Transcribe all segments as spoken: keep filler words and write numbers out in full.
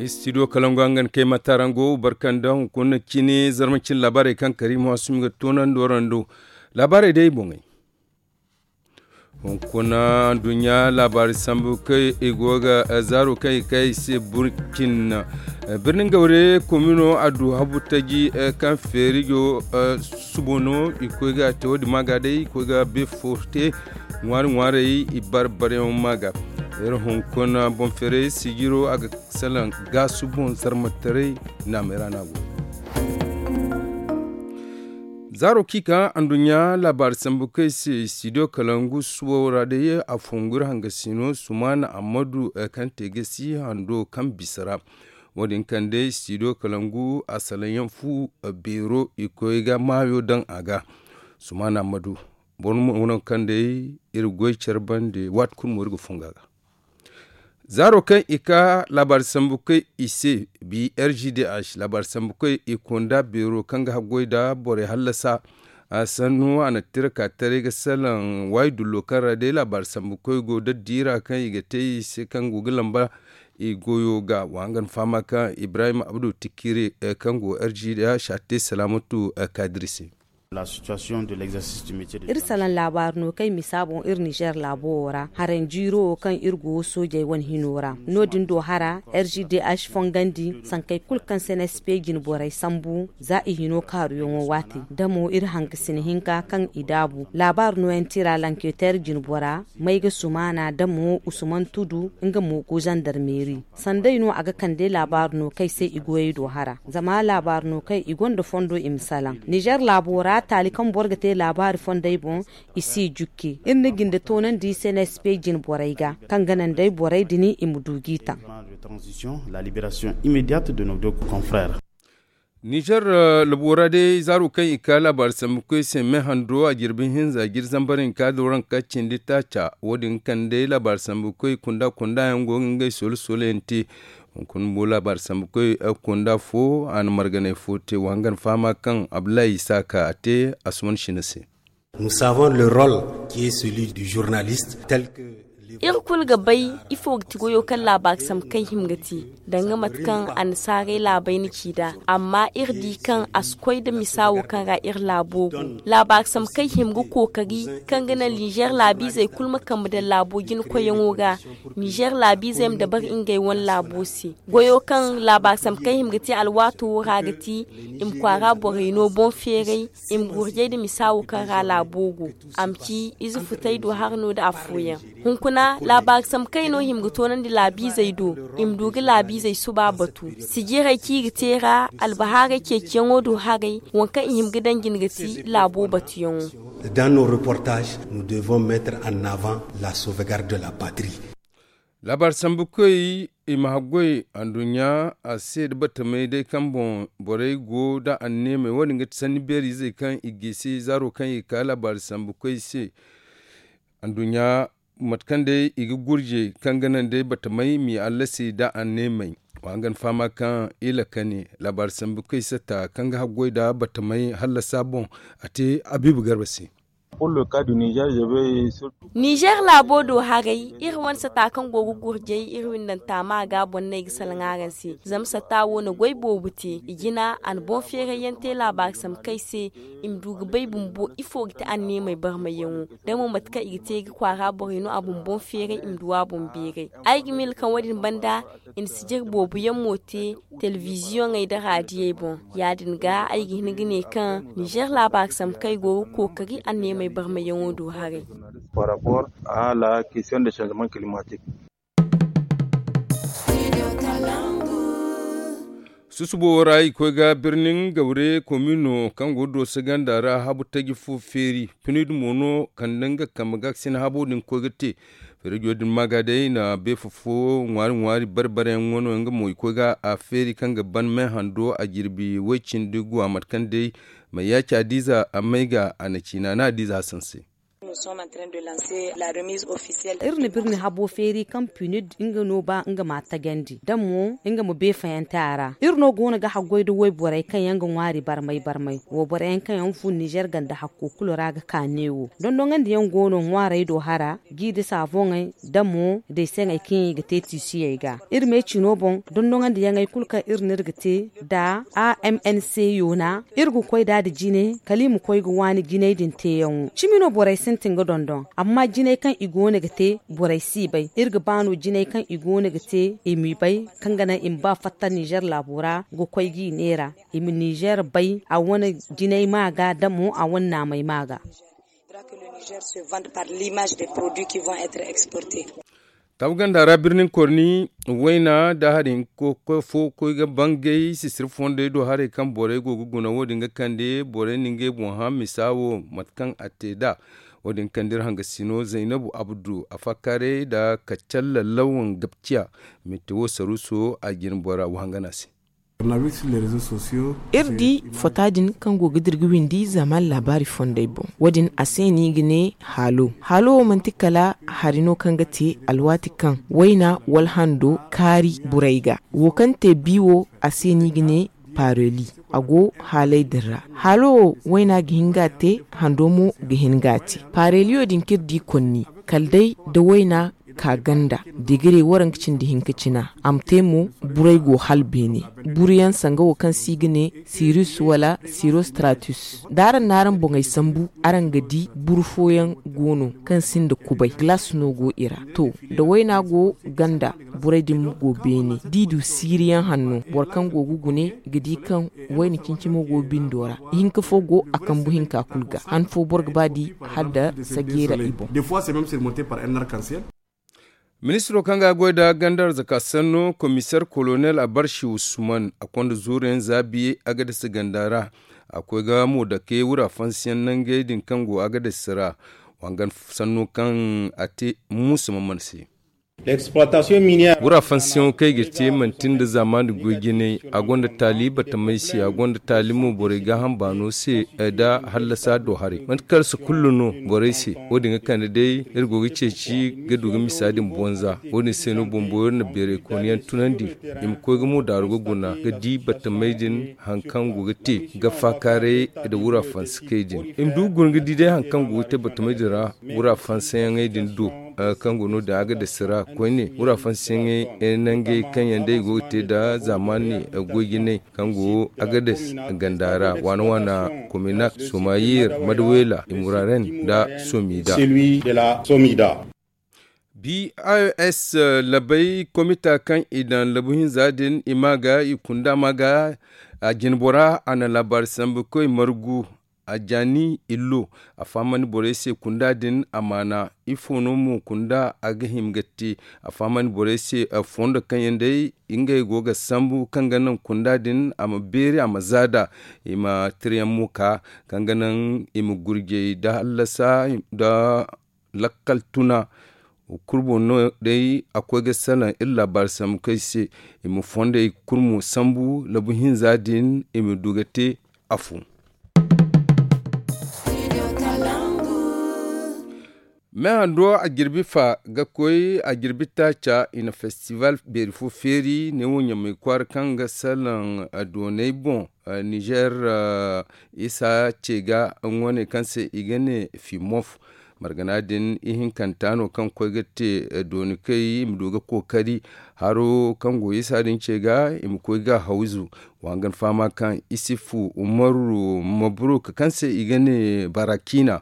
Studio kalangu hangan kay matarango barkanda hunkuna cine zarma cine laabaarey kaŋ kariima waasumi ga toonandi warando. Laabaarey day boŋey. Hunkuna nduɲɲa laabaari sambu kaŋ i go ga zaaro kaŋ i kay i se burcin. Birnin gawre komino a du habu taji kaŋ feerijo subo no i koy ga te wo- din ma ga day i koy ga be fo te. Ŋwaari ŋwaarey i bar baryaŋo ma ga. Iri hunkuna boŋ feeray sijiro a ga salaŋ gaasu boŋ zarmataray naamay ra no a go. Zaaro kaŋ i ka anduɲɲa laabaari sambu kaŋ i se studio kalangu suwo ra day a fongu iri hangasino sumaana ammadu kaŋ te gasi hando kaŋ bisa ra. Wo- din kaŋ day studio kalangu a salaŋ yaŋ fu beero i koy ga maayo daŋ a ga. Sumaana ammadu boro mo no kaŋ day iri goy care bande waati kulu mo iri ga fongu a ga. Zaaro kaŋ i ka laabaari sambu kaŋ i se bi r g d h laabaari sambu kaŋ i kunda beero kaŋ ga haggoy nda borey hallasa. A sannu a na tira ka taray ga salaŋ waayi dullo kaŋ ra day laabaari sambu kaŋ i go daddi ra kaŋ i ga te i se kaŋ go ga lamba i goyo ga wa nga na fahama kaŋ ibrahim abdu tikire kaŋ go r g d h a te salaamatu kadiri se. Iri salaŋ laabaari no kaŋ i misa boŋ iri nizer laabo wo ra haranjiiro wo kaŋ iri go soojey wane hino ra no- din do hara r g d h fongandi sankey kulu kaŋ se n s p jine borey sambu za i hino kaaruyaŋo waati da mo iri hangasina hinka kaŋ i daabu laabaari nooyaŋ tira lanketer jine bora may ga sumaana da mo usuman tudu nga mo go zandarmeeri. Sanday no a ga kande laabaari no kaŋ ay se i goyey do hara zama laabaari no kaŋ i gonda fondo i ma salaŋ nizer laabo ra taali kaŋ boro ga te laabaari fondey boŋ. I si jukke iri na jinde toonandi se na sp jine borey ga kaŋ ga naŋ day borey din i ma du g'i taŋ. Nizer labo ra day zaaro kaŋ i ka laabaari sambu koy se me hando a jirbi hinza jiri zambar hinka da waranka cindi taaca wo- din kaŋ day laabaari sambu koy kunda kunda yaŋ go ga ngey solo solo yaŋ te. Hunkuna mo laabaari sambu koy kunda fo a na marganay fo te wa hangan fahama kaŋ abdullahi isa ka a te asuman shina se. Iri kulu ga bay ifo ga ti goyo kaŋ laabaari sambu kaŋ hima ga te danga mate kaŋ annasaarey laabey na ci nd'a. Amma iri di kaŋ a si koy nda misa wo kaŋ ra iri laabo go. Laabaari sambu kaŋ hima ga kookari kaŋ ga naŋ nizer laabiizey kulu ma kambe daŋ laabo jina koyyaŋo ga. Nizer laabiizey ma dabari ngey wane laabo se. Goyo kaŋ laabaari sambu kaŋ hima ga te alwaato wo ra ga ti i ma kwaara borey no boŋ feeray. I ma gurjay nda misa wo kaŋ ra laabo go. A ma ci ize futay do hara no nda afooyaŋ. Hunkuna laabaari sambu kaŋ i no hima ga toonandi laabiizey do. I ma du ga laabiizey suba batu. Sijirey kaŋ i ga te ra albahaaray ceeciyaŋo do haray waŋ kaŋ i hima ga daŋ jine ga ti laabo batuyaŋo. Dans nos reportages nous devons mettre en avant la sauvegarde de la patrie. Laabaari sambu koy i ma haggoy anduɲɲa a se nda batamey day kaŋ boŋ borey go nda anneemey wo- din ga ti sanni beeri izey kaŋ i gisi zaaro kaŋ i ka laabaari sambu koy se. Anduɲɲa mate kaŋ day i ga gurje kaŋ ga naŋ day batamey m'i allasi nda anneemey. Wa hangan fahama kaŋ i lakani laabaari sambu koy satta kaŋ ga haggoy nda batamey hallasa boŋ a te abiibu garba se. Nizer laabo do haray iri wane sata kaŋ go ga gurjay iri windanta ma ga boŋ no ay ga salaŋ araŋ se. Zama sata wo na goy boobo te i jina a na boŋ feerayyaŋ te laabaari sambu kaŋ ay se. I ma du ga bay bumbo ifo ga ti anneemey barmayyaŋo da mo mate kaŋ i ga te ga kwaara borey no a bumboŋ feeray i ma du a boŋ beeray. Ay ga miila kaŋ wo- din banda i na sijir boobo yaŋ mo te telebiziyoŋey nda raadiyey boŋ. Ya- din ga ay ga hin ga ne kaŋ nizer laabaari sambu kaŋ ay go ga kookari anneemey barmayyaŋo do haray. Susubo wo ra i koy ga birnin gawre komino kaŋ go dooso ganda ra habu taji fo feeri. Pinidi mo no kande nga kambe ga ga sina habo din koy ga te. Feerijo din ma ga day na beefa fo ŋwaari ŋwaari bare bare yaŋ wano nga mo i koy ga a feeri kaŋ ga ban me hando a jirbi way cindi guwa mate kaŋ day. Mayyaci adiiza a may ga a na ciina na adiiza hasan se. Iri na birni habo feeri kaŋ punid nga no ba nga ma tajandi da mo nga ma beefayante a ra. Iri no go no ga haggoy da wayborey kaŋ yaŋ ga ŋwaari barmay barmay, wayborey yaŋ kaŋ yaŋ fun nizer ganda hakko kulu ra ga ka neewo. Dondonandi yaŋ go no ŋwaarey do hara, g'i da saafoŋey da mo deeseŋey kaŋ yaŋ i ga te tiisiyey ga. Iri me cino boŋ, dondonandi yaŋey kulu kaŋ iri n'iri ga te da a m n c yoona, iri ga koy da da jine kala i ma koy ga waani jinay din teeyaŋo. Cimi no borey sintin ga dondon, amma jinay kaŋ i go no ga te, borey si bay. Iri ga ba no jinay kaŋ i go no ga te, i m'i bay, kaŋ ga naŋ i ma ba fatta nizer laabo ra ga koy g'i neera, i ma nizer bay a wane jinay ma ga da mo a wane naamay ma ga. Tabu ganda ra birnin korni, wayna da hari hinka fo koy ga bangay sisiri fondey do haray kaŋ borey go ga guna wo- din ga kande borey na ngey boŋ hã misa wo mate kaŋ a te nd'a. Wo- din kande iri hangasino zaynabu abdu a fakkaaray nda kaccalla lawan gabciya. Minte wo saruuso a jine bora wo hangana se. Iri di fota din kaŋ go ga dira ga windi zaaman laabaari fondey boŋ. Wo- din a se no i ga ne haalo. Haalo wo manti kala hari no kaŋ ga te alwaati kaŋ wayna wala hando kaari burey ga. Wo kaŋ te bi wo, a se no i ga ne paareli. A go haaley din ra. Haalo wo, wayna ga hin ga a te, hando mo ga hin ga a te. Paareliyo din kaŋ iri di konni, kala day da wayna ka ganda, degere waranka cindi hinka cina. A ma te mo, buray go hala beene. Buru yaŋ sanga wo kaŋ se i ga ne sirus wala sirostratus. Da araŋ na araŋ boŋey sambu, araŋ ga di buru fooyaŋ go no kaŋ sinda kubay, galas no go i ra. To, da wayna go ganda, buray din mo go beene. Da i du siiriyaŋ hanno, boro kaŋ go ga gune ga di kaŋ wayna cincimo go bindo ra. Ihinka fo go a kambu hinka kulu ga. Han fo boro ga ba di hala da sajeera i boŋ. Ministiro kaŋ ga goy nda ganda arzaka sanno, komiseer kolonel abarshi usman a konda zuuruyaŋ zaabi agadas ganda ra. A koy ga mo dake wura fansiyaŋ nangey din kaŋ go agadas ra. Wangan sanno kaŋ a te muusa mamman se. Wura fansiyaŋo kaŋ i ga te manti nda zaamaani goy jinay. A gonda taali batamey se, a gonda taali mo borey gaaham baano se, nda hallasa do haray. Manti kala si kulu no borey se. Wo- din ga kande day iri go ga ceeci ga du ga misa din bonza. Wo- din se no bumbo iri na beeray kooniyaŋ tunandi, i ma koy ga mo daaru ga guna ga di batamey din, hari kaŋ go ga te ga faakaaray nda wura fansikey din. I ma du ga guna ga di day hari kaŋ go ga te batamey din ra, wura fansayaŋey din do, kaŋ go no-din agadas ra koyne. Wura fansayaŋey nangey kaŋ yaŋ day go ga te nda zaamaani goy jinay kaŋ go agadas ganda ra, waana waana, kominak, somayir, madawela, imuraren nda somida. Bos labay komita kaŋ i daŋ labu hinza din i ma ga i kunda ma ga a jinbora a na laabaari sambu koy margu. A jaani illo a fahamandi borey se kunda din amaana. Ifo no mo kunda a ga hima ga te? A fahamandi borey se fondo kaŋ yaŋ day ngey go ga sambu kaŋ ga naŋ kunda din a ma beeri a ma zaada. I ma tirayaŋ mo ka kaŋ ga naŋ i ma gurjey da hallasa da lakkal tuna. Kurbo no day a koy ga salaŋ iri laabaari sambu kay se i ma fondey kurmo sambu labu hinza din i ma du ga te. Afo me hando a jirbi fa ga koy a jirbi taaca i na festival beeri fo feeri ne wo ɲamay kwaara kaŋ ga salaŋ doonay boŋ. Nizer isa ce ga ŋooney kaŋ se i ga ne fimof. Margana din ihinkanta no kaŋ koy ga te dooni kay i ma du ga kookari haro kaŋ go isa din ce ga i ma koy ga hawzu. Wa hangan fahama kaŋ isifu umaru mabruk kaŋ se i ga ne barakina.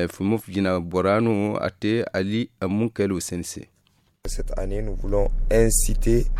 Fimof jina bora no a te ali munkaylo seni se.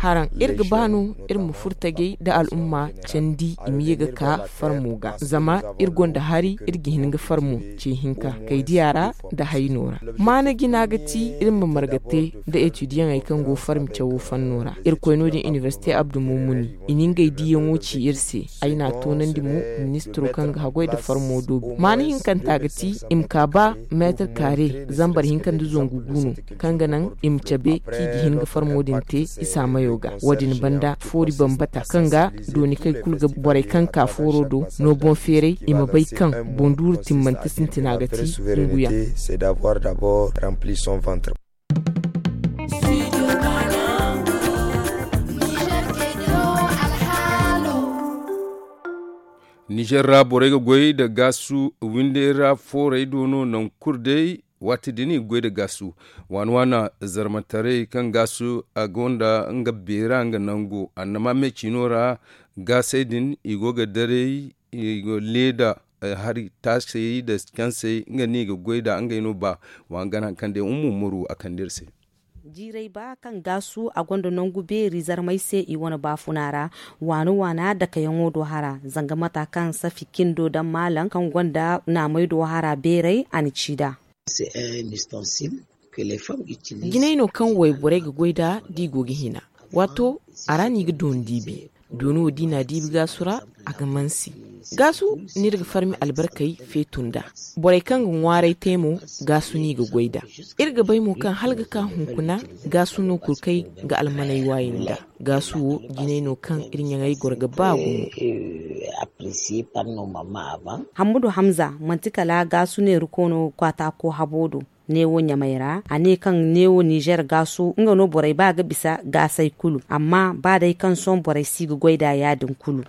Haraŋ iri ga ba no iri ma furo tajay nda al'umma candi i ma ye ga ka farmo ga zama iri gonda hari iri ga hin ga farmo ce hinka kay diya ra nda hayno ra. Maana jina ga ti iri ma marga te nda etudiyaŋey kaŋ go farmi cawo fanno ra. Irkoy no- din inibersite abdu mumuni i na ngey diyaŋo ci iri se. Ay n'a toonandi mo ministiro kaŋ ga haggoy nda farmo doobi maana hinkanta ga ti i ma ka ba meetir kaare zambar hinka nda zangu gu no kaŋ ga naŋ i ma cabe. Kaŋ i ga hin ga farmo din te isa mayo ga. Wo- din banda foori bambata kaŋ ga dooni kaŋ i kulu ga borey kaŋ ka fooro do no boŋ feeray i ma bay kaŋ boŋ duuru timmante sintina ga ti. Nguyaŋ. Nizer ra borey ga goy nda gaasu windey ra foorey do no nangu kulu day. Waati din i ga goy nda gaasu waana waana zarmataray kaŋ gaasu a gonda nga beera nga nango annama me ciino ra. Gaasey din i go ga daray i go leeda hari taasey nda cansey nga no i ga goy nd'a ngey no ba. Wa nga no hari kaŋ day ummu muru a kande iri se. Jiiray ba kaŋ gaasu a gonda nangu beeri zarmay se i wane baafuna ra. Waana waana dakayaŋo do hara zanga mata kaŋ safi kindo daŋ maalam kaŋ gonda naamay do hara beeray a na ci nd'a. Jinay no kaŋ wayborey ga goy nd'a da i go ga hina. Waato a ra no i ga dooni diibi. Dooni wo da i n'a diibi gaasu ra a ga mansi. Gaasu no iri ga farmi albarkey feetu nd'a. Borey kaŋ ga ŋwaaray te mo gaasu no i ga goy nd'a. Iri ga bay mo kaŋ hala ga ka hunkuna gaasu no kulu kaŋ ay ga almaney waayi nd'a. Gaasu wo jinay no kaŋ iri ɲaŋey goro ga ba gumo. Hammadu hamza manti kala gaasu neeriko no kwaataako habo do. Neewo ɲamay ra a ne kaŋ neewo nizer gaasu nga no borey ba ga bisa gaasey kulu amma ba day kaŋ sohõ borey si ga goy nd'a ya- din kulu.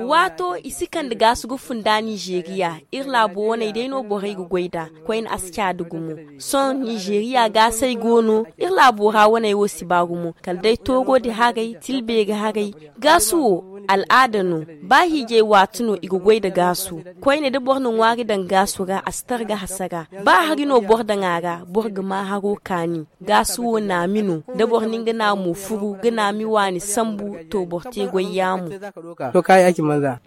Waato i si kande gaasu ga funda nizeriya. Iri laabo waney day no borey ga goy nd'a. Koyne a si caadi gumo. Sohõ nizeriya gaasey go no iri laabo ra waney wo si ba gumo kala day toogo di haray tilbeeri haray. Gaasu wo al'aada no. Ba hiijay waati no i ga goy nda gaasu. Koyne da boro na ŋwaari daŋ gaasu ra a si tara ga hasara. Ba hari no boro daŋ a ra boro ga ma haro kaani. Gaasu wo naami no. Da boro na nga naamo furu ga naami waani sambu to boro te goy yaamo.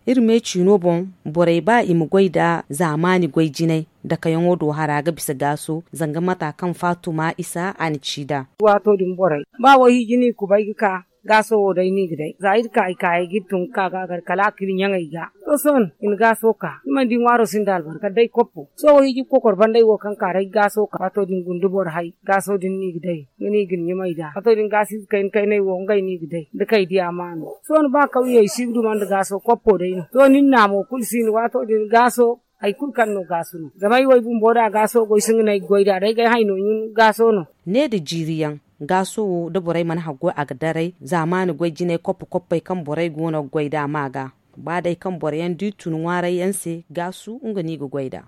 Iri me ciino boŋ borey ba i ma goy nda zaamaani goy jinay. Dakayaŋo do hara ga bisa gaaso zanga mata kaŋ faatuma isa a na ci nd'a. Waato din borey ba wayhiiji no i kubay ga ka gaaso wo day no i ga day za iri ka i kaayey ga iri tun ga ka ga a gar kala a ka iri ɲaŋey ga. To sohõ i na gaaso ka ni mana di ŋwaaro sinda albarka kala day koppo. Sohõ wayhiiji ga kokor banda ay wo kaŋ ka ra ay ga gaaso ka waato din guna da boro hay gaaso din no i ga day. Nga no i ga ni ɲumay nd'a waato din gaasiize kayna kaynay wo ngey no i ga day da kay di amaano. Sohõ ba kawyey si ga duma nda gaaso koppo day no sohõ ni na naamo kulu si no waato din gaaso. Hari kulu kaŋ no gaasu no zama ay wo ay bumbo da gaaso goy si nga no ay ga goy nd'a day ga ay hay no ɲun gaaso no. Ne nda jiiri yaŋ gaaso wo da borey mana haggoy a ga daray zaamaani goy jinay koppo koppey kaŋ borey go no ga goy nd'a ma ga. Ba day kaŋ boro yaŋ da i tun ŋwaaray yaŋ se gaasu nga no i ga goy nd'a.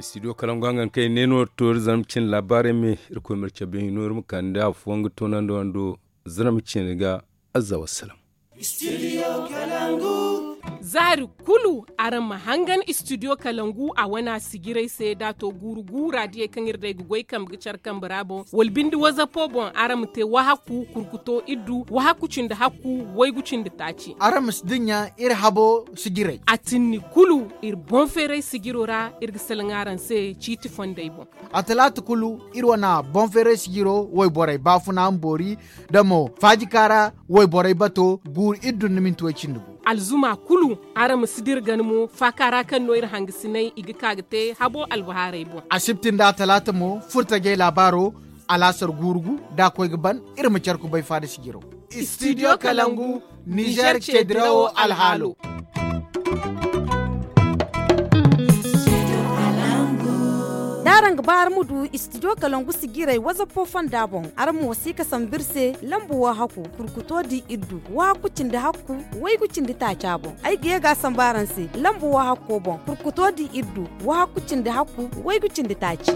Studio kalangu hangan kaŋ i ne no toori zama cin laabaarey me. Irkoy ma iri cabe hino iri ma kande afooyaŋ ga toonandi wando. Zirma cine ga azza wassalam. Zaari kulu araŋ ma hangan studio kalangu a wana sijiray se da a to guuru gu raadiyey kaŋ iri day ga goy kambe ga care kambe ra boŋ wala binde wazapo boŋ araŋ ma te wahaku kurkuto iddu wahaku cindi hakku waygu cindi taaci. Araŋ ma si dinya iri habo sijiray a tinni kulu iri boŋ feeray sijiro ra iri ga salaŋ araŋ se ciiti fondey boŋ. A talaata kulu iri wane boŋ feeray sijiro wayborey baafuna ma boori da mo faajika ra wayborey bato guuru iri dun na minti way cindi gu. Alzuma kulu araŋ ma si dira gana mo faaka ra kaŋ no iri hangasinay i ga ka ga te habo albahaarey boŋ. Asibti nda a talaata mo furtajey laabaaro alaasar guuru gu da a koy ga ban iri ma care kubay faada sijiro. Studio kalangu nizer ce dirawo alhaalo. Da araŋ ga ba araŋ ma du studio kalangu sijiray wazapo fonda boŋ araŋ ma wasi ka sambu iri se lambu wahakku kurkuto di iddu wahakku cindi hakku waygu cindi taaca boŋ ay ga ye ga a sambu araŋ se lambu wahakko boŋ kurkuto di iddu wahakku cindi hakku waygu cindi taaci.